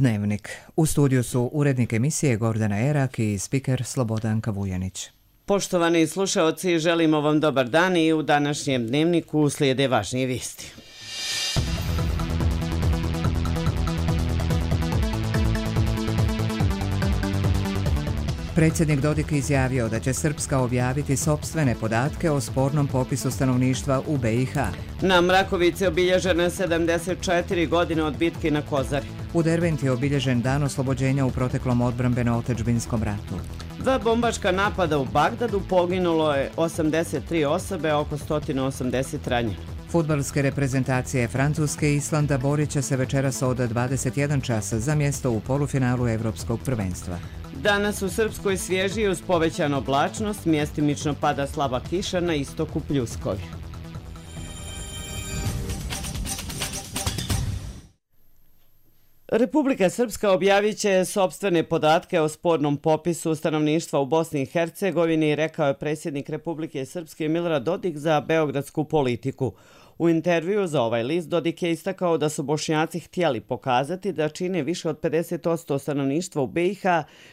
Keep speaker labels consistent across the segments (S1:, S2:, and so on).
S1: Dnevnik. U studiju su urednik emisije Gordana Erak i spiker Slobodanka Vujanić.
S2: Poštovani slušaoci, želimo vam dobar dan i u današnjem Dnevniku slijede važnije vijesti.
S1: Predsjednik Dodik izjavio da će Srpska objaviti sopstvene podatke o spornom popisu stanovništva u BiH.
S2: Na Mrakovici obilježeno je 74 godine od bitke na Kozari.
S1: U Derventi je obilježen dan oslobođenja u proteklom odbrambeno-otadžbinskom ratu.
S2: Dva bombaška napada u Bagdadu, poginulo je 83 osobe, oko 180 ranjeno.
S1: Fudbalske reprezentacije Francuske i Islanda borit će se večeras od 21 časa za mjesto u polufinalu Evropskog prvenstva.
S2: Danas u Srpskoj svježi uz povećanu oblačnost, mjestimično pada slaba kiša, na istoku pljuskovi. Republika Srpska objavit će sopstvene podatke o spornom popisu stanovništva u Bosni i Hercegovini, rekao je predsjednik Republike Srpske Milorad Dodik za beogradsku Politiku. U intervju za ovaj list Dodik je istakao da su Bošnjaci htjeli pokazati da čine više od 50% stanovništva u BiH,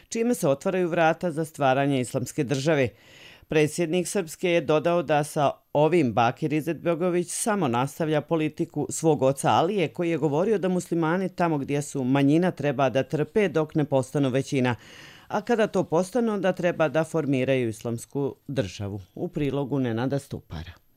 S2: čime se otvaraju vrata za stvaranje islamske države. Predsjednik Srpske je dodao da sa ovim Bakir Izetbegović samo nastavlja politiku svog oca Alije, koji je govorio da muslimani tamo gdje su manjina treba da trpe dok ne postanu većina, a kada to postanu da treba da formiraju islamsku državu. U prilogu Nenada Stupara.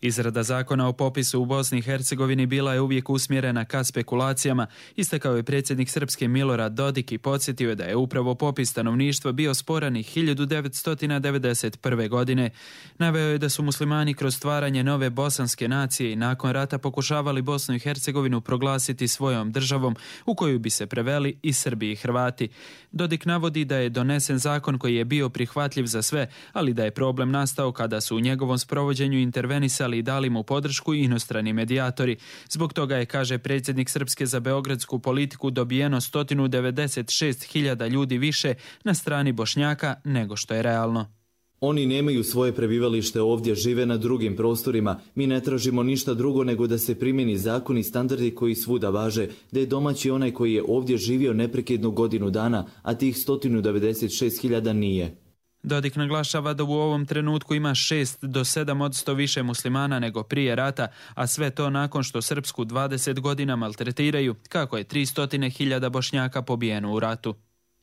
S3: Izrada zakona o popisu u Bosni i Hercegovini bila je uvijek usmjerena ka spekulacijama, istakao je predsjednik Srpske Milorad Dodik i podsjetio je da je upravo popis stanovništva bio sporan i 1991. godine. Naveo je da su muslimani kroz stvaranje nove bosanske nacije i nakon rata pokušavali Bosnu i Hercegovinu proglasiti svojom državom u koju bi se preveli i Srbi i Hrvati. Dodik navodi da je donesen zakon koji je bio prihvatljiv za sve, ali da je problem nastao kada su u njegovom sprovođenju intervenisali i dali mu podršku i inostrani medijatori. Zbog toga je, kaže predsjednik Srpske za beogradsku Politiku, dobijeno 196.000 ljudi više na strani Bošnjaka nego što je realno.
S4: Oni nemaju svoje prebivalište ovdje, žive na drugim prostorima. Mi ne tražimo ništa drugo nego da se primjeni zakon i standardi koji svuda važe, da je domaći onaj koji je ovdje živio neprekidnu godinu dana, a tih 196.000 nije.
S3: Dodik naglašava da u ovom trenutku ima 6 do 7% više muslimana nego prije rata, a sve to nakon što Srpsku 20 godina maltretiraju, kako je 300.000 Bošnjaka pobijeno u ratu.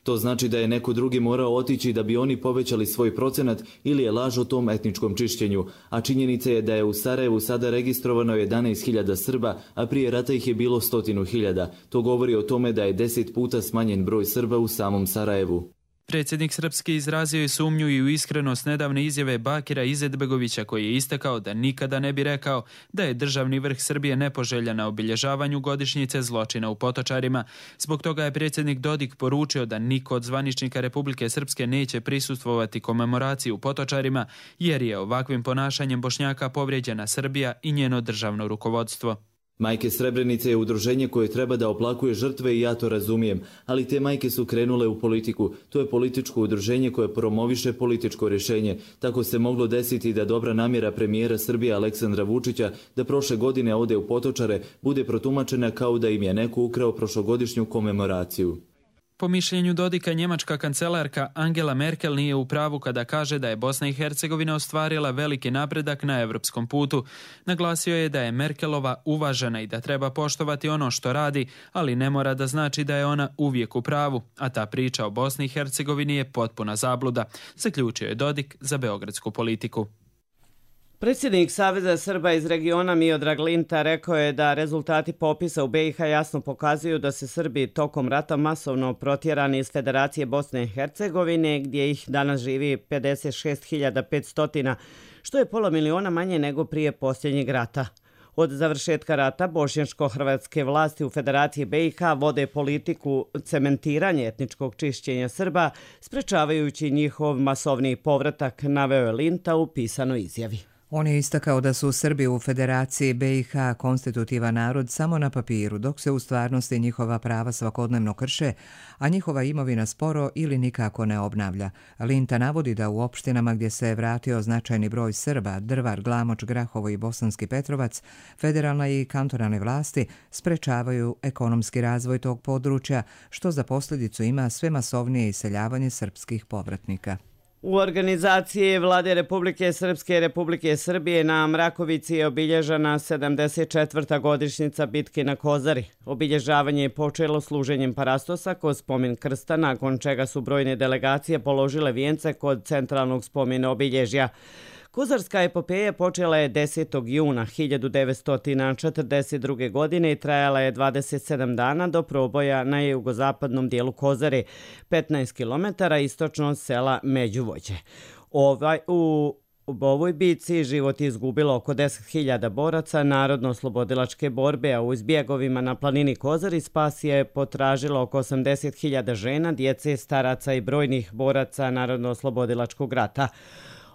S4: To znači da je neko drugi morao otići da bi oni povećali svoj procenat ili je laž o tom etničkom čišćenju, a činjenica je da je u Sarajevu sada registrovano 11.000 Srba, a prije rata ih je bilo 100.000. To govori o tome da je 10 puta smanjen broj Srba u samom Sarajevu.
S3: Predsjednik Srpske izrazio je sumnju i u iskrenost nedavne izjave Bakira Izetbegovića, koji je istakao da nikada ne bi rekao da je državni vrh Srbije nepoželjan na obilježavanju godišnjice zločina u Potočarima. Zbog toga je predsjednik Dodik poručio da niko od zvaničnika Republike Srpske neće prisustvovati komemoraciji u Potočarima, jer je ovakvim ponašanjem Bošnjaka povrijeđena Srbija i njeno državno rukovodstvo.
S4: Majke Srebrenice je udruženje koje treba da oplakuje žrtve i ja to razumijem, ali te majke su krenule u politiku. To je političko udruženje koje promoviše političko rješenje. Tako se moglo desiti da dobra namjera premijera Srbije Aleksandra Vučića da prošle godine ode u Potočare bude protumačena kao da im je neko ukrao prošlogodišnju komemoraciju.
S3: Po mišljenju Dodika, njemačka kancelarka Angela Merkel nije u pravu kada kaže da je Bosna i Hercegovina ostvarila veliki napredak na evropskom putu. Naglasio je da je Merkelova uvažena i da treba poštovati ono što radi, ali ne mora da znači da je ona uvijek u pravu, a ta priča o Bosni i Hercegovini je potpuna zabluda, zaključio je Dodik za beogradsku Politiku.
S2: Predsjednik Saveza Srba iz regiona Miodrag Linta rekao je da rezultati popisa u BiH jasno pokazuju da se Srbi tokom rata masovno protjerani iz Federacije Bosne i Hercegovine, gdje ih danas živi 56.500, što je pola miliona manje nego prije posljednjeg rata. Od završetka rata bošnjačko-hrvatske vlasti u Federaciji BiH vode politiku cementiranja etničkog čišćenja Srba, sprečavajući njihov masovni povratak, naveo je Linta u pisanoj izjavi.
S1: On je istakao da su Srbi u Federaciji BiH konstitutivan narod samo na papiru, dok se u stvarnosti njihova prava svakodnevno krše, a njihova imovina sporo ili nikako ne obnavlja. Linta navodi da u opštinama gdje se vratio značajni broj Srba, Drvar, Glamoč, Grahovo i Bosanski Petrovac, federalna i kantonalne vlasti sprečavaju ekonomski razvoj tog područja, što za posljedicu ima sve masovnije iseljavanje srpskih povratnika.
S2: U organizaciji Vlade Republike Srpske i Republike Srbije na Mrakovici je obilježena 74. godišnjica bitke na Kozari. Obilježavanje je počelo služenjem parastosa kod spomen krsta, nakon čega su brojne delegacije položile vijence kod centralnog spomena obilježja. Kozarska epopeja počela je 10. juna 1942. godine i trajala je 27 dana do proboja na jugozapadnom dijelu Kozare, 15 km istočno od sela Međuvođe. U ovoj bici život je izgubilo oko 10.000 boraca narodno-oslobodilačke borbe, a u izbjegovima na planini Kozari spas je potražilo oko 80.000 žena, djece, staraca i brojnih boraca narodno-oslobodilačkog rata.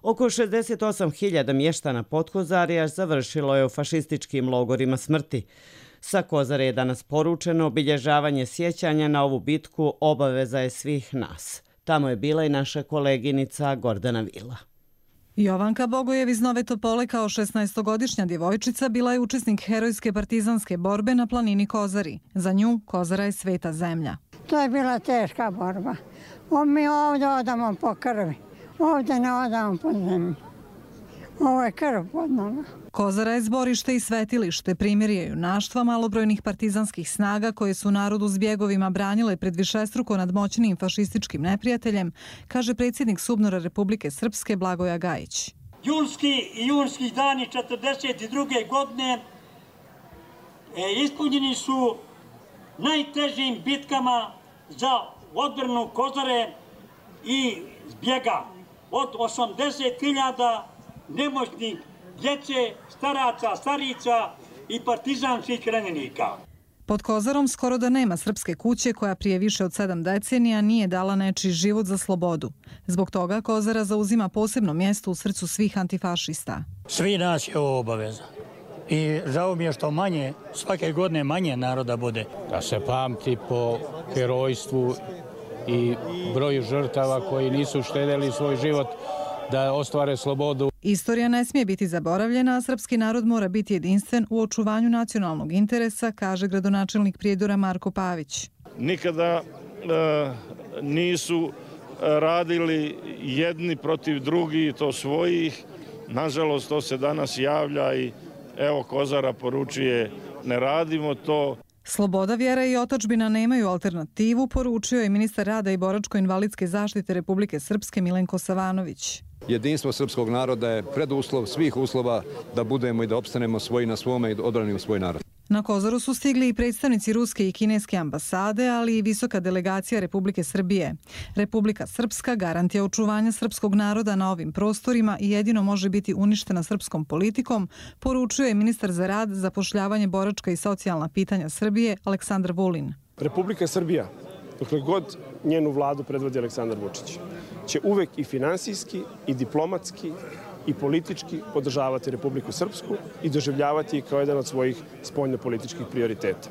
S2: Oko 68.000 mještana Podkozarja završilo je u fašističkim logorima smrti. Sa Kozare je danas poručeno obilježavanje sjećanja na ovu bitku obaveza je svih nas. Tamo je bila i naša koleginica Gordana Vila.
S5: Jovanka Bogojev iz Nove Topole kao 16-godišnja djevojčica bila je učesnik herojske partizanske borbe na planini Kozari. Za nju Kozara je sveta zemlja.
S6: To je bila teška borba. Mi ovdje odamo po krvi. Ovdje ne odamo po zemlji. Ovo je krv pod nama.
S5: Kozara je zborište i svetilište, primjerje junaštva malobrojnih partizanskih snaga koje su narod u zbjegovima branile pred višestruko nadmoćnim fašističkim neprijateljem, kaže predsjednik SUBNOR-a Republike Srpske Blagoja Gajić.
S7: Julski i junski dani 1942. godine ispunjeni su najtežim bitkama za odbranu Kozare i zbjega. Od 80.000 nemoćnih djece, staraca, starica i partizanskih ranjenika.
S5: Pod Kozarom skoro da nema srpske kuće koja prije više od 7 decenija nije dala nečiji život za slobodu. Zbog toga Kozara zauzima posebno mjesto u srcu svih antifašista.
S8: Svi nas je ovo obaveza. I žao mi je što manje, svake godine manje naroda bude.
S9: Da se pamti po herojstvu i broju žrtava koji nisu štedjeli svoj život da ostvare slobodu.
S5: Istorija ne smije biti zaboravljena, a srpski narod mora biti jedinstven u očuvanju nacionalnog interesa, kaže gradonačelnik Prijedora Marko Pavić.
S10: Nikada nisu radili jedni protiv drugih, to svojih. Nažalost, to se danas javlja i evo Kozara poručuje ne radimo to.
S5: Sloboda, vjera i otadžbina nemaju alternativu, poručio je ministar rada i boračko-invalidske zaštite Republike Srpske Milenko Savanović.
S11: Jedinstvo srpskog naroda je preduslov svih uslova da budemo i da opstanemo svoji na svome i odbranimo svoj narod.
S5: Na Kozaru su stigli i predstavnici ruske i kineske ambasade, ali i visoka delegacija Republike Srbije. Republika Srpska garant je očuvanja srpskog naroda na ovim prostorima i jedino može biti uništena srpskom politikom, poručuje ministar za rad, zapošljavanje, boračka i socijalna pitanja Srbije Aleksandar Vulin.
S12: Republika Srbija, dokle god njenu vladu predvodi Aleksandar Vučić, će uvek i finansijski i diplomatski i politički podržavati Republiku Srpsku i doživljavati kao jedan od svojih spoljnopolitičkih prioriteta.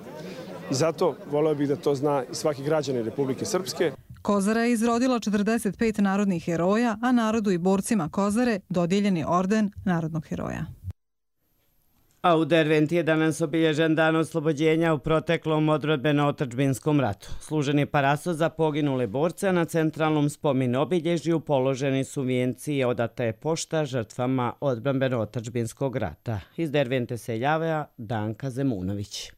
S12: I zato voleo bih da to zna i svaki građanin Republike Srpske.
S5: Kozara je izrodila 45 narodnih heroja, a narodu i borcima Kozare dodijeljen je orden narodnog heroja.
S2: A u Derventi je danas obilježen dan oslobođenja u proteklom odbranbeno-otadžbinskom ratu. Služen je parastos za poginule borce, a na centralnom spomen obilježju položeni su vijenci i odata je pošta žrtvama odbranbeno-otadžbinskog rata. Iz Dervente se javlja Danka Zemunović.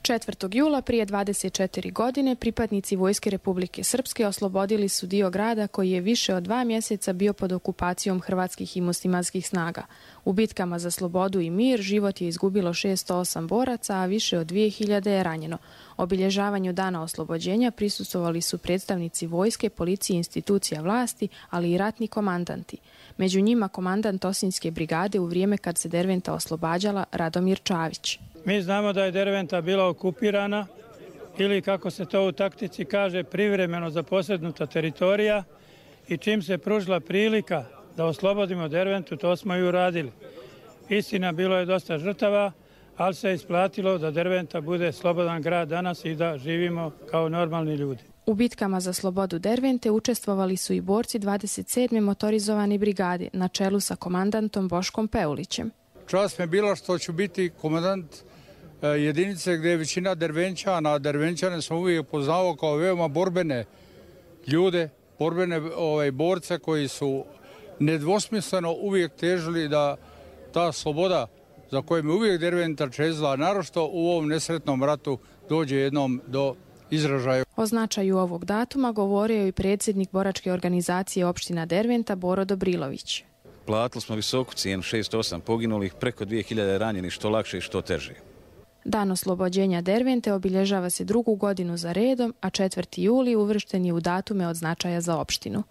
S13: 4. jula prije 24 godine pripadnici Vojske Republike Srpske oslobodili su dio grada koji je više od 2 mjeseca bio pod okupacijom hrvatskih i muslimanskih snaga. U bitkama za slobodu i mir život je izgubilo 608 boraca, a više od 2000 je ranjeno. Obilježavanju dana oslobođenja prisustvovali su predstavnici vojske, policije i institucija vlasti, ali i ratni komandanti. Među njima komandant Osinjske brigade u vrijeme kad se Derventa oslobađala Radomir Čavić.
S8: Mi znamo da je Derventa bila okupirana ili, kako se to u taktici kaže, privremeno zaposjednuta teritorija i čim se pružila prilika da oslobodimo Derventu, to smo i uradili. Istina, bilo je dosta žrtava, ali se isplatilo da Derventa bude slobodan grad danas i da živimo kao normalni ljudi.
S13: U bitkama za slobodu Dervente učestvovali su i borci 27. motorizovane brigade na čelu sa komandantom Boškom Peulićem.
S9: Čast me bila što ću biti komandant jedinice gdje je većina Dervenčana. Dervenčane sam uvijek poznao kao veoma borbene ljude, borbene borce koji su nedvosmisleno uvijek težili da ta sloboda za koju me uvijek Derventa čezla, naročito u ovom nesretnom ratu, dođe jednom do izražaja.
S13: O značaju ovog datuma govorio je i predsjednik boračke organizacije opština Derventa Boro Dobrilović.
S14: Platili smo visoku cijenu, 608 poginulih, preko 2000 ranjenih, što lakše i što teže.
S13: Dan oslobođenja Dervente obilježava se 2. godinu za redom, a 4. juli uvršten je u datume od značaja za opštinu.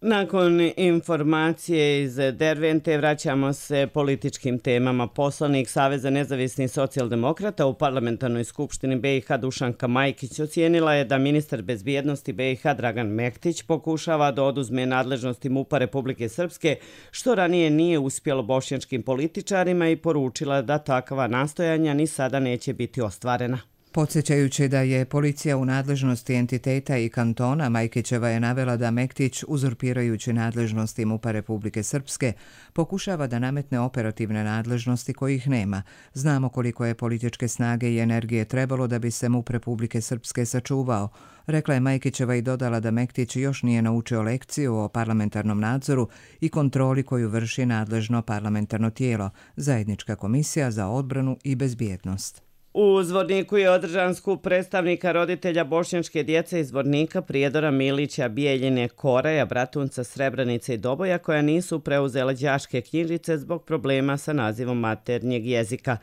S2: Nakon informacije iz Dervente vraćamo se političkim temama. Poslanik Saveza nezavisnih socijaldemokrata u parlamentarnoj skupštini BiH Dušanka Majkić ocijenila je da ministar bezbjednosti BiH Dragan Mektić pokušava da oduzme nadležnosti MUP-a Republike Srpske, što ranije nije uspjelo bošnjačkim političarima, i poručila da takva nastojanja ni sada neće biti ostvarena.
S1: Podsjećajući da je policija u nadležnosti entiteta i kantona, Majkićeva je navela da Mektić, uzurpirajući nadležnosti MUP-a Republike Srpske, pokušava da nametne operativne nadležnosti kojih nema. Znamo koliko je političke snage i energije trebalo da bi se MUP Republike Srpske sačuvao, rekla je Majkićeva i dodala da Mektić još nije naučio lekciju o parlamentarnom nadzoru i kontroli koju vrši nadležno parlamentarno tijelo, Zajednička komisija za odbranu i bezbjednost.
S2: U Zvorniku je održan skup predstavnika roditelja bošnjačke djece iz Zvornika, Prijedora, Milića, Bijeljine, Koraja, Bratunca, Srebrenice i Doboja, koja nisu preuzela đačke knjižice zbog problema sa nazivom maternjeg jezika.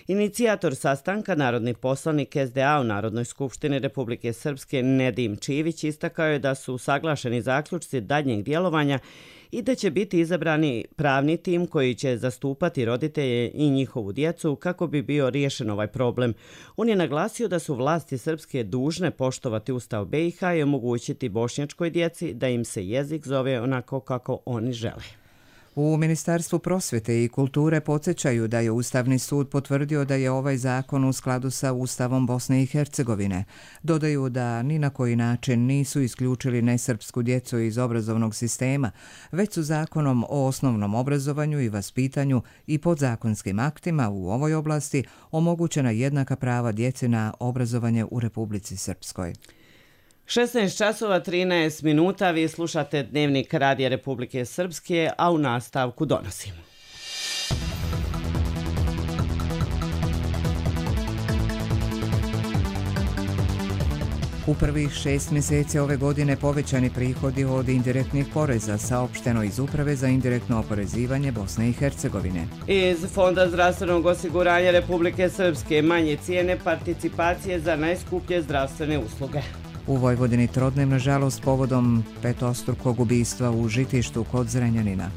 S2: Inicijator sastanka, narodni poslanik SDA u Narodnoj skupštini Republike Srpske Nedim Čivić, istakao je da su usaglašeni zaključci daljnjeg djelovanja i da će biti izabrani pravni tim koji će zastupati roditelje i njihovu djecu kako bi bio riješen ovaj problem. On je naglasio da su vlasti srpske dužne poštovati Ustav BiH i omogućiti bošnjačkoj djeci da im se jezik zove onako kako oni žele.
S1: U Ministarstvu prosvjete i kulture podsjećaju da je Ustavni sud potvrdio da je ovaj zakon u skladu sa Ustavom Bosne i Hercegovine. Dodaju da ni na koji način nisu isključili nesrpsku djecu iz obrazovnog sistema, već su zakonom o osnovnom obrazovanju i vaspitanju i podzakonskim aktima u ovoj oblasti omogućena jednaka prava djeci na obrazovanje u Republici Srpskoj.
S2: 16 časova 13 minuta, vi slušate Dnevnik Radija Republike Srpske, a u nastavku donosimo.
S1: U prvih 6 mjeseci ove godine povećani prihodi od indirektnih poreza, saopšteno iz Uprave za indirektno oporezivanje Bosne i Hercegovine.
S2: Iz Fonda zdravstvenog osiguranja Republike Srpske manje cijene participacije za najskuplje zdravstvene usluge.
S1: U Vojvodini trodnem, nažalost, povodom petostrukog ubistva u Žitištu kod Zrenjanina.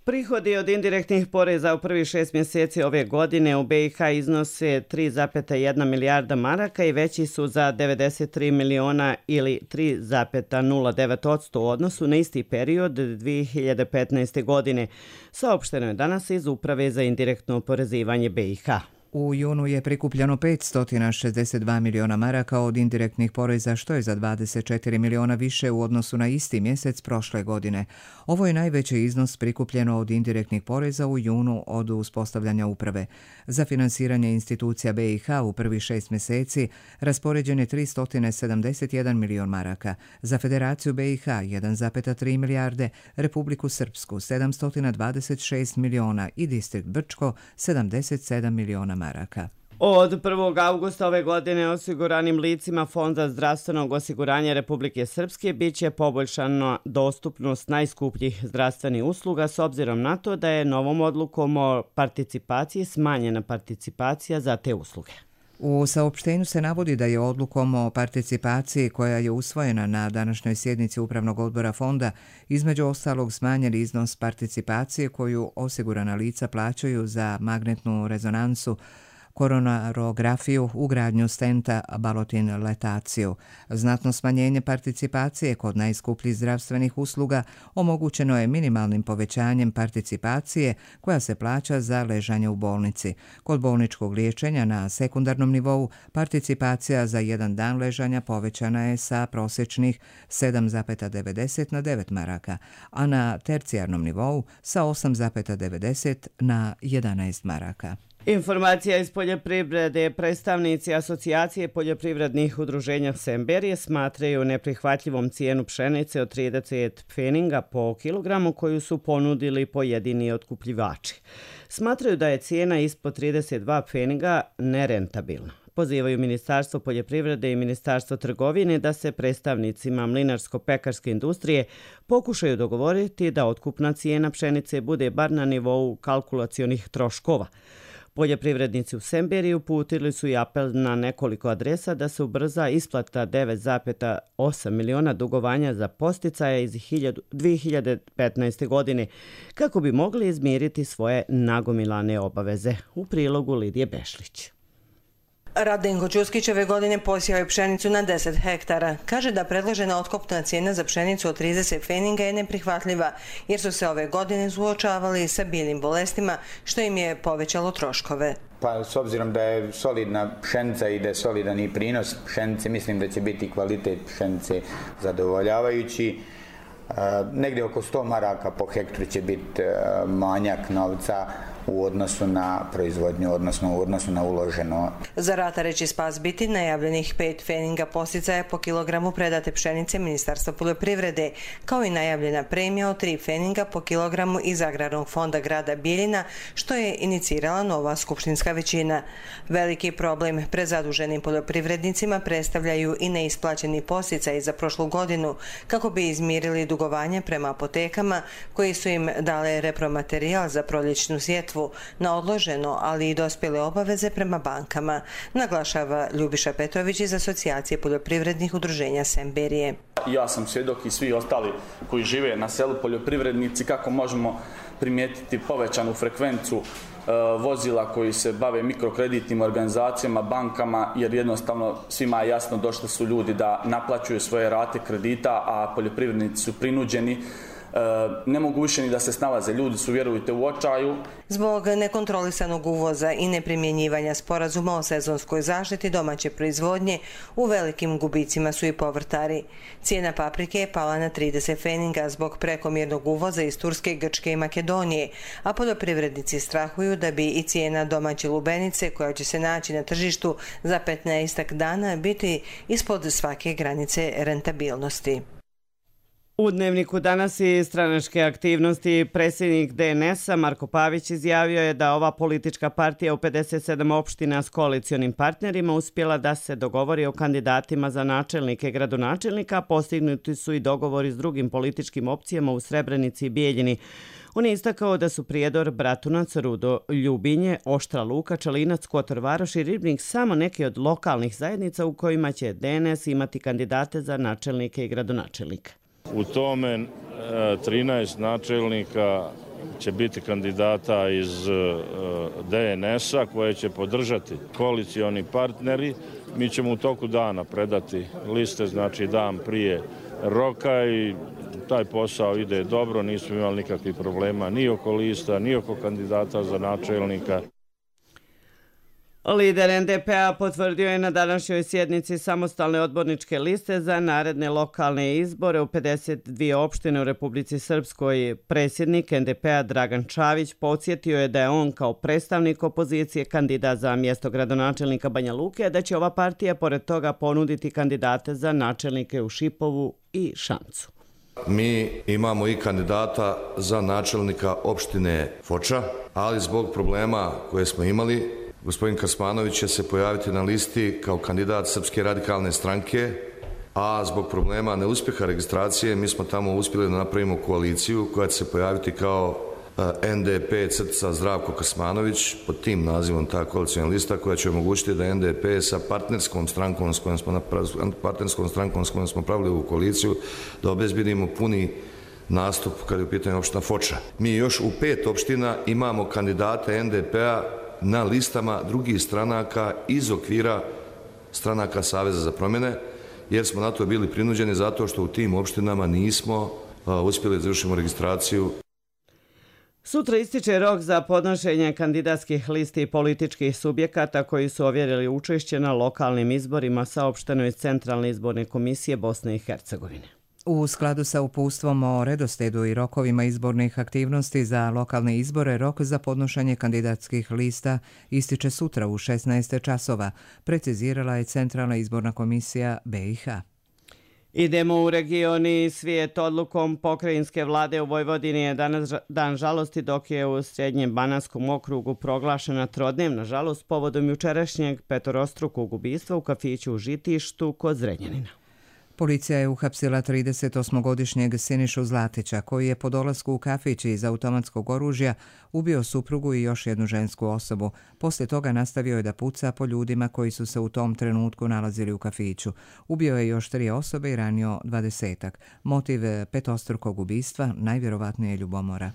S2: Prihodi od indirektnih poreza u prvih 6 mjeseci ove godine u BiH iznose 3,1 milijarda maraka i veći su za 93 miliona ili 3,09% u odnosu na isti period 2015. godine, saopšteno je danas iz Uprave za indirektno oporezivanje BiH.
S1: U junu je prikupljeno 562 miliona maraka od indirektnih poreza, što je za 24 miliona više u odnosu na isti mjesec prošle godine. Ovo je najveći iznos prikupljeno od indirektnih poreza u junu od uspostavljanja uprave. Za finansiranje institucija BiH u prvih 6 mjeseci raspoređen je 371 milion maraka, za Federaciju BiH 1,3 milijarde, Republiku Srpsku 726 miliona i Distrikt Brčko 77 miliona maraka.
S2: Od 1. augusta ove godine osiguranim licima Fonda zdravstvenog osiguranja Republike Srpske bit će poboljšana dostupnost najskupljih zdravstvenih usluga s obzirom na to da je novom odlukom o participaciji smanjena participacija za te usluge.
S1: U saopštenju se navodi da je odlukom o participaciji koja je usvojena na današnjoj sjednici Upravnog odbora fonda između ostalog smanjen iznos participacije koju osigurana lica plaćaju za magnetnu rezonansu, koronarografiju, ugradnju stenta, balotin letaciju. Znatno smanjenje participacije kod najskupljih zdravstvenih usluga omogućeno je minimalnim povećanjem participacije koja se plaća za ležanje u bolnici. Kod bolničkog liječenja na sekundarnom nivou participacija za jedan dan ležanja povećana je sa prosječnih 7,90 na 9 maraka, a na tercijarnom nivou sa 8,90 na 11 maraka.
S2: Informacija iz poljoprivrede. Predstavnici Asocijacije poljoprivrednih udruženja Semberije smatraju neprihvatljivom cijenu pšenice od 30 pfeninga po kilogramu koju su ponudili pojedini otkupljivači. Smatraju da je cijena ispod 32 pfeninga nerentabilna. Pozivaju Ministarstvo poljoprivrede i Ministarstvo trgovine da se predstavnicima mlinarsko-pekarske industrije pokušaju dogovoriti da otkupna cijena pšenice bude bar na nivou kalkulacionih troškova. Poljoprivrednici u Semberiji uputili su i apel na nekoliko adresa da se ubrza isplata 9,8 miliona dugovanja za podsticaje iz 2015. godine kako bi mogli izmiriti svoje nagomilane obaveze. U prilogu Lidije Bešlić.
S15: Radenko Ćuskić ove godine posijao je pšenicu na 10 hektara. Kaže da predložena otkupna cijena za pšenicu od 30 pfeninga je neprihvatljiva, jer su se ove godine suočavali sa biljnim bolestima, što im je povećalo troškove.
S16: Pa s obzirom da je solidna pšenica i da je solidan i prinos pšenice, mislim da će biti kvalitet pšenice zadovoljavajući. Negdje oko 100 maraka po hektru će biti manjak novca u odnosu na proizvodnju, odnosno u odnosu na uloženo.
S15: Za ratare će spas biti najavljenih 5 pfeninga podsticaja po kilogramu predate pšenice Ministarstva poljoprivrede, kao i najavljena premija od 3 pfeninga po kilogramu iz Agrarnog fonda grada Bijeljina, što je inicirala nova skupštinska većina. Veliki problem prezaduženim poljoprivrednicima predstavljaju i neisplaćeni podsticaji za prošlu godinu, kako bi izmirili dugovanje prema apotekama koji su im dale repromaterijal za proljećnu sjetvu na odloženo, ali i dospjele obaveze prema bankama, naglašava Ljubiša Petrović iz Asocijacije poljoprivrednih udruženja Semberije.
S17: Ja sam svjedok i svi ostali koji žive na selu poljoprivrednici kako možemo primijetiti povećanu frekvencu vozila koji se bave mikrokreditnim organizacijama, bankama, jer jednostavno svima je jasno došli su ljudi da naplaćuju svoje rate kredita, a poljoprivrednici su prinuđeni, ne mogu više ni da se snalaze. Ljudi su, vjerujte, u očaju.
S15: Zbog nekontrolisanog uvoza i neprimjenjivanja sporazuma o sezonskoj zaštiti domaće proizvodnje, u velikim gubicima su i povrtari. Cijena paprike je pala na 30 pfeninga zbog prekomjernog uvoza iz Turske, Grčke i Makedonije, a poljoprivrednici strahuju da bi i cijena domaće lubenice, koja će se naći na tržištu za 15 dana, biti ispod svake granice rentabilnosti.
S2: U Dnevniku danas i stranačke aktivnosti predsjednik DNS-a Marko Pavić izjavio je da ova politička partija u 57 opština s koalicionim partnerima uspjela da se dogovori o kandidatima za načelnike i gradonačelnika, postignuti su i dogovori s drugim političkim opcijama u Srebrenici i Bijeljini. On je istakao da su Prijedor, Bratunac, Rudo, Ljubinje, Oštra Luka, Čelinac, Kotor Varoš i Ribnik samo neke od lokalnih zajednica u kojima će DNS imati kandidate za načelnike i gradonačelnika.
S10: U tome 13 načelnika će biti kandidata iz DNS-a koje će podržati koalicioni partneri. Mi ćemo u toku dana predati liste, znači dan prije roka, i taj posao ide dobro, nismo imali nikakvih problema ni oko lista, ni oko kandidata za načelnika.
S2: Lider NDP-a potvrdio je na današnjoj sjednici samostalne odborničke liste za naredne lokalne izbore u 52 opštine u Republici Srpskoj. Predsjednik NDP-a Dragan Čavić podsjetio je da je on kao predstavnik opozicije kandidat za mjesto gradonačelnika Banja Luke, da će ova partija pored toga ponuditi kandidate za načelnike u Šipovu i Šamcu.
S18: Mi imamo i kandidata za načelnika opštine Foča, ali zbog problema koje smo imali, gospodin Kasmanović će se pojaviti na listi kao kandidat Srpske radikalne stranke, a zbog problema neuspjeha registracije mi smo tamo uspjeli da napravimo koaliciju koja će se pojaviti kao NDP crtica Zdravko Kasmanović, pod tim nazivom ta koalicijna lista koja će omogućiti da NDP sa partnerskom strankom s kojom smo pravili ovu koaliciju, da obezbedimo puni nastup kada je u pitanju opština Foča. Mi još u 5 opština imamo kandidate NDP-a na listama drugih stranaka iz okvira stranaka Saveza za promjene, jer smo na to bili prinuđeni zato što u tim opštinama nismo uspjeli da završimo registraciju.
S2: Sutra ističe rok za podnošenje kandidatskih listi i političkih subjekata koji su ovjerili učešće na lokalnim izborima, saopšteno iz Centralne izborne komisije Bosne i Hercegovine.
S1: U skladu sa uputstvom o redoslijedu i rokovima izbornih aktivnosti za lokalne izbore, rok za podnošenje kandidatskih lista ističe sutra u 16 časova, precizirala je Centralna izborna komisija BiH.
S2: Idemo u regioni svijet. Odlukom pokrajinske vlade u Vojvodini je danas dan žalosti, dok je u Srednjem Bananskom okrugu proglašena trodnevna žalost povodom jučerašnjeg petorostrukog ubistva u kafiću u Žitištu kod Zrenjanina.
S1: Policija je uhapsila 38-godišnjeg Sinišu Zlatića, koji je po dolasku u kafić iz automatskog oružja ubio suprugu i još jednu žensku osobu. Poslije toga nastavio je da puca po ljudima koji su se u tom trenutku nalazili u kafiću. Ubio je još 3 osobe i ranio 20-ak. Motiv petostrukog ubistva najvjerovatnije je ljubomora.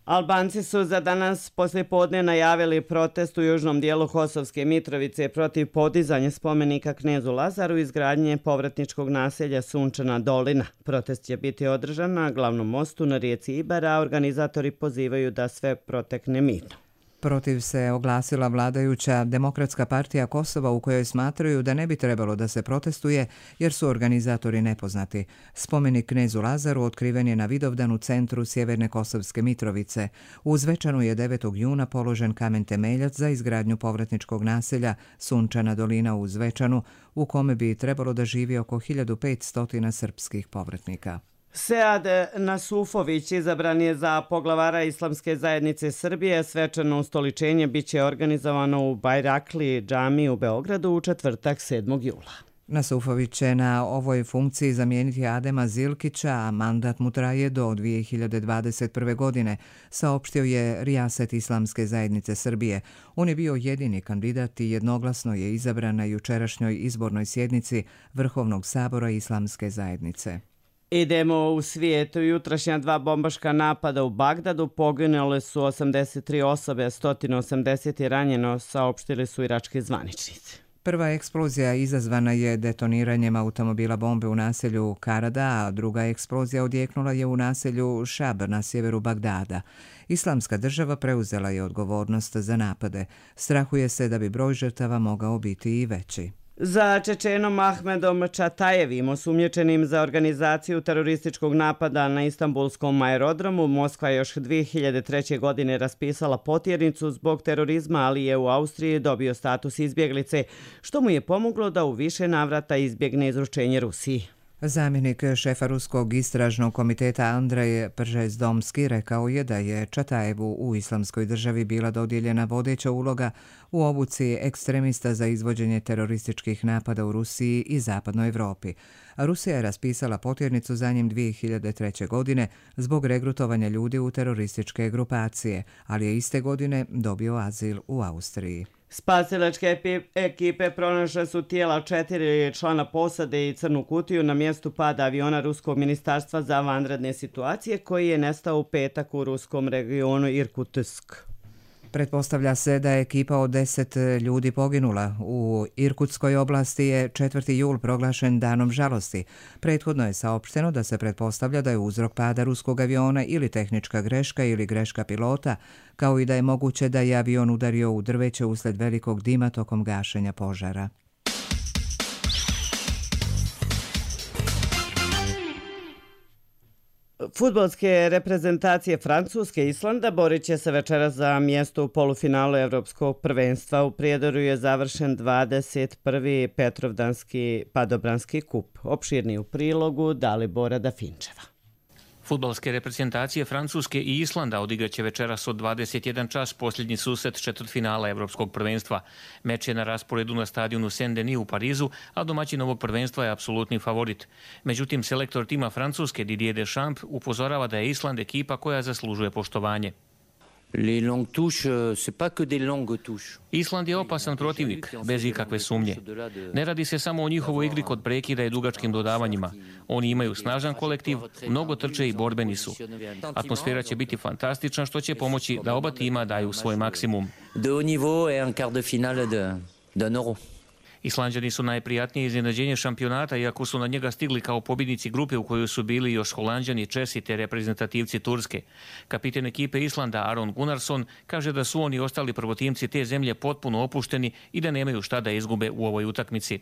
S2: Albanci su za danas poslijepodne najavili protest u južnom dijelu Kosovske Mitrovice protiv podizanja spomenika knezu Lazaru i izgradnje povratničkog naselja Sunčana dolina. Protest će biti održan na glavnom mostu na rijeci Ibar, a organizatori pozivaju da sve protekne mirno.
S1: Protiv se oglasila vladajuća Demokratska partija Kosova, u kojoj smatraju da ne bi trebalo da se protestuje jer su organizatori nepoznati. Spomenik knezu Lazaru otkriven je na Vidovdan u centru sjeverne Kosovske Mitrovice. U Zvečanu je 9. juna položen kamen temeljac za izgradnju povratničkog naselja Sunčana dolina u Zvečanu, u kome bi trebalo da živi oko 1500 srpskih povratnika.
S2: Sead Nasufović izabran je za poglavara Islamske zajednice Srbije. Svečano ustoličenje biće organizovano u Bajrakli džamiji u Beogradu u četvrtak 7. jula.
S1: Nasufović će na ovoj funkciji zamijeniti Adema Zilkića, a mandat mu traje do 2021. godine, saopštio je Rijaset Islamske zajednice Srbije. On je bio jedini kandidat i jednoglasno je izabran na jučerašnjoj izbornoj sjednici Vrhovnog sabora Islamske zajednice.
S2: Idemo u svijetu. Jutrašnja 2 bombaška napada u Bagdadu, poginule su 83 osobe, 180 je ranjeno, saopštili su irački zvaničnici.
S1: Prva eksplozija izazvana je detoniranjem automobila bombe u naselju Karada, a druga eksplozija odjeknula je u naselju Šab na sjeveru Bagdada. Islamska država preuzela je odgovornost za napade. Strahuje se da bi broj žrtava mogao biti i veći.
S2: Za Čečenom Ahmedom Čatajevim, osumnjičenim za organizaciju terorističkog napada na Istanbulskom aerodromu, Moskva je još 2003. godine raspisala potjernicu zbog terorizma, ali je u Austriji dobio status izbjeglice, što mu je pomoglo da u više navrata izbjegne izručenje Rusiji.
S1: Zamjenik šefa Ruskog istražnog komiteta Andrej Pržezdomski rekao je da je Čatajevu u Islamskoj državi bila dodijeljena vodeća uloga u obuci ekstremista za izvođenje terorističkih napada u Rusiji i zapadnoj Evropi. Rusija je raspisala potjernicu za njim 2003. godine zbog regrutovanja ljudi u terorističke grupacije, ali je iste godine dobio azil u Austriji.
S2: Spasilačke ekipe pronašle su tijela 4 člana posade i crnu kutiju na mjestu pada aviona Ruskog ministarstva za vanredne situacije koji je nestao u petak u ruskom regionu Irkutsk.
S1: Pretpostavlja se da je ekipa od 10 ljudi poginula. U Irkutskoj oblasti je 4. jul proglašen danom žalosti. Prethodno je saopšteno da se pretpostavlja da je uzrok pada ruskog aviona ili tehnička greška ili greška pilota, kao i da je moguće da je avion udario u drveće usled velikog dima tokom gašenja požara.
S2: Fudbalske reprezentacije Francuske i Islanda borit će se večeras za mjesto u polufinalu Evropskog prvenstva. U Prijedoru je završen 21. Petrovdanski padobranski kup. Opširni u prilogu Dalibora Dafinčeva.
S19: Fudbalske reprezentacije Francuske i Islanda odigraće večeras od 21 čas posljednji susret četvrtfinala Evropskog prvenstva. Meč je na rasporedu na stadionu Saint-Denis u Parizu, a domaćin ovog prvenstva je apsolutni favorit. Međutim, selektor tima Francuske Didier Deschamps upozorava da je Island ekipa koja zaslužuje poštovanje. Island je opasan protivnik, bez ikakve sumnje. Ne radi se samo o njihovoj igri kod prekida i dugačkim dodavanjima. Oni imaju snažan kolektiv, mnogo trče i borbeni su. Atmosfera će biti fantastična, što će pomoći da oba tima daju svoj maksimum. Islanđani su najprijatnije iznenađenje šampionata, iako su na njega stigli kao pobjednici grupe u kojoj su bili još Holanđani, Česi te reprezentativci Turske. Kapiten ekipe Islanda Aron Gunnarsson kaže da su oni ostali prvotimci te zemlje potpuno opušteni i da nemaju šta da izgube u ovoj utakmici.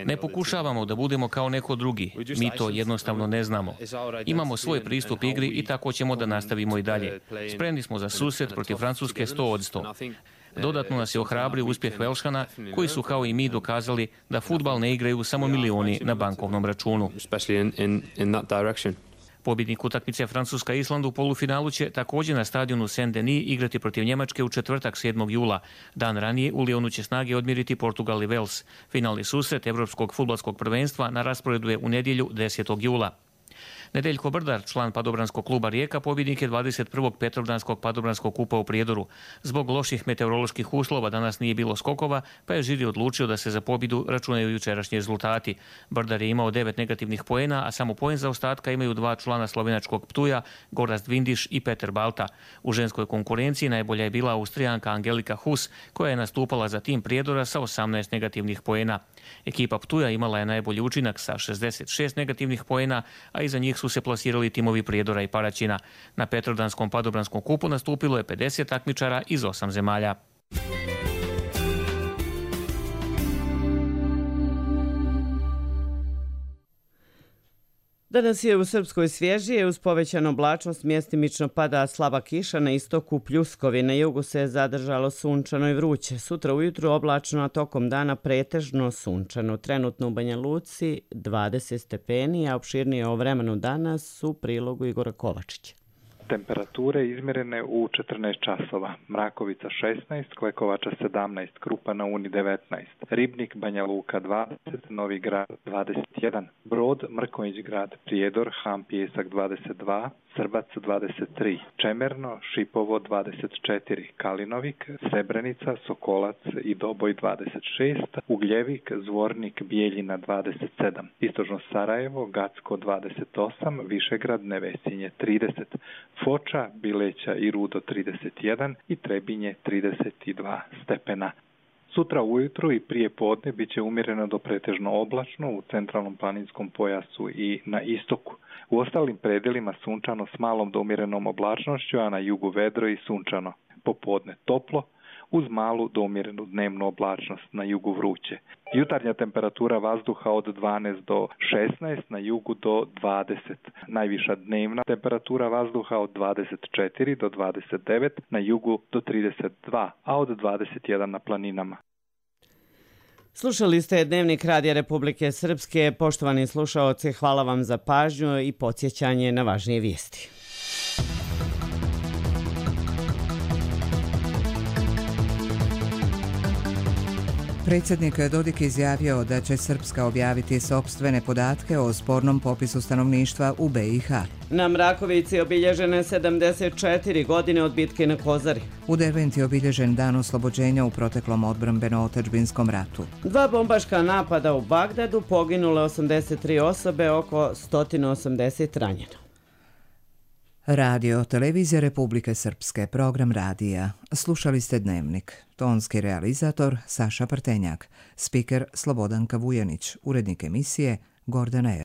S19: Ne pokušavamo da budemo kao neko drugi. Mi to jednostavno ne znamo. Imamo svoj pristup igri i tako ćemo da nastavimo i dalje. Spremni smo za susret protiv Francuske 100%. Dodatno nas je ohrabrio uspjeh Velšana, koji su kao i mi dokazali da fudbal ne igraju samo milioni na bankovnom računu. Pobjednik utakmice Francuska-Island u polufinalu će također na stadionu Saint-Denis igrati protiv Njemačke u četvrtak 7. jula. Dan ranije u Lionu će snage odmiriti Portugal i Vels. Finalni susret Evropskog fudbalskog prvenstva na rasporedu je u nedjelju 10. jula. Nedeljko Brdar, član padobranskog kluba Rijeka, pobjednik je 21. Petrovdanskog padobranskog kupa u Prijedoru. Zbog loših meteoroloških uslova danas nije bilo skokova, pa je žiri odlučio da se za pobjedu računaju jučerašnji rezultati. Brdar je imao 9 negativnih poena, a samo poen za ostatka imaju 2 člana slovenačkog Ptuja, Gorazd Vindiš i Peter Balta. U ženskoj konkurenciji najbolja je bila Austrijanka Angelika Hus, koja je nastupala za tim Prijedora sa 18 negativnih poena. Ekipa Ptuja imala je najbolji učinak sa 66 negativnih poena, a iza njih su se plasirali timovi Prijedora i Paraćina. Na Petrovdanskom padobranskom kupu nastupilo je 50 takmičara iz 8 zemalja.
S2: Danas je u Srpskoj svježije, uz povećanu oblačnost mjestimično pada slaba kiša, na istoku pljuskovi, na jugu se zadržalo sunčano i vruće. Sutra ujutru oblačno, a tokom dana pretežno sunčano. Trenutno u Banja Luci 20 stepeni, a opširnije o vremenu danas u prilogu Igora Kovačića.
S20: Temperature izmjerene u 14 časova. Mrakovica 16, Klekovača 17, Krupa na Uni 19, Ribnik, Banja Luka 20, Novi Grad 21, Brod, Mrkonjić grad, Prijedor, Ham Pijesak 22, Srbac 23, Čemerno, Šipovo 24, Kalinovik, Srebrenica, Sokolac i Doboj 26, Ugljevik, Zvornik, Bijeljina 27, Istočno Sarajevo, Gacko 28, Višegrad, Nevesinje 30, Foča, Bileća i Rudo 31 i Trebinje 32 stepena. Sutra ujutru i prije podne bit će umjereno do pretežno oblačno u centralnom planinskom pojasu i na istoku. U ostalim predelima sunčano s malom do umjerenom oblačnošću, a na jugu vedro i sunčano. Popodne toplo, uz malu do umjerenu dnevnu oblačnost, na jugu vruće. Jutarnja temperatura vazduha od 12 do 16, na jugu do 20. Najviša dnevna temperatura vazduha od 24 do 29, na jugu do 32, a od 21 na planinama.
S2: Slušali ste Dnevnik Radija Republike Srpske. Poštovani slušaoci, hvala vam za pažnju i podsjećanje na važnije vijesti.
S1: Predsjednik Dodik izjavio da će Srpska objaviti sopstvene podatke o spornom popisu stanovništva u BiH.
S2: Na Mrakovici obilježene 74 godine od bitke na Kozari.
S1: U Derventi je obilježen dan oslobođenja u proteklom odbrambeno-otadžbinskom ratu.
S2: 2 bombaška napada u Bagdadu, poginule 83 osobe, oko 180 ranjeno.
S1: Radio Televizija Republike Srpske, program radija. Slušali ste Dnevnik. Tonski realizator Saša Partenjak. Spiker Slobodanka Vujanić. Urednik emisije Gordana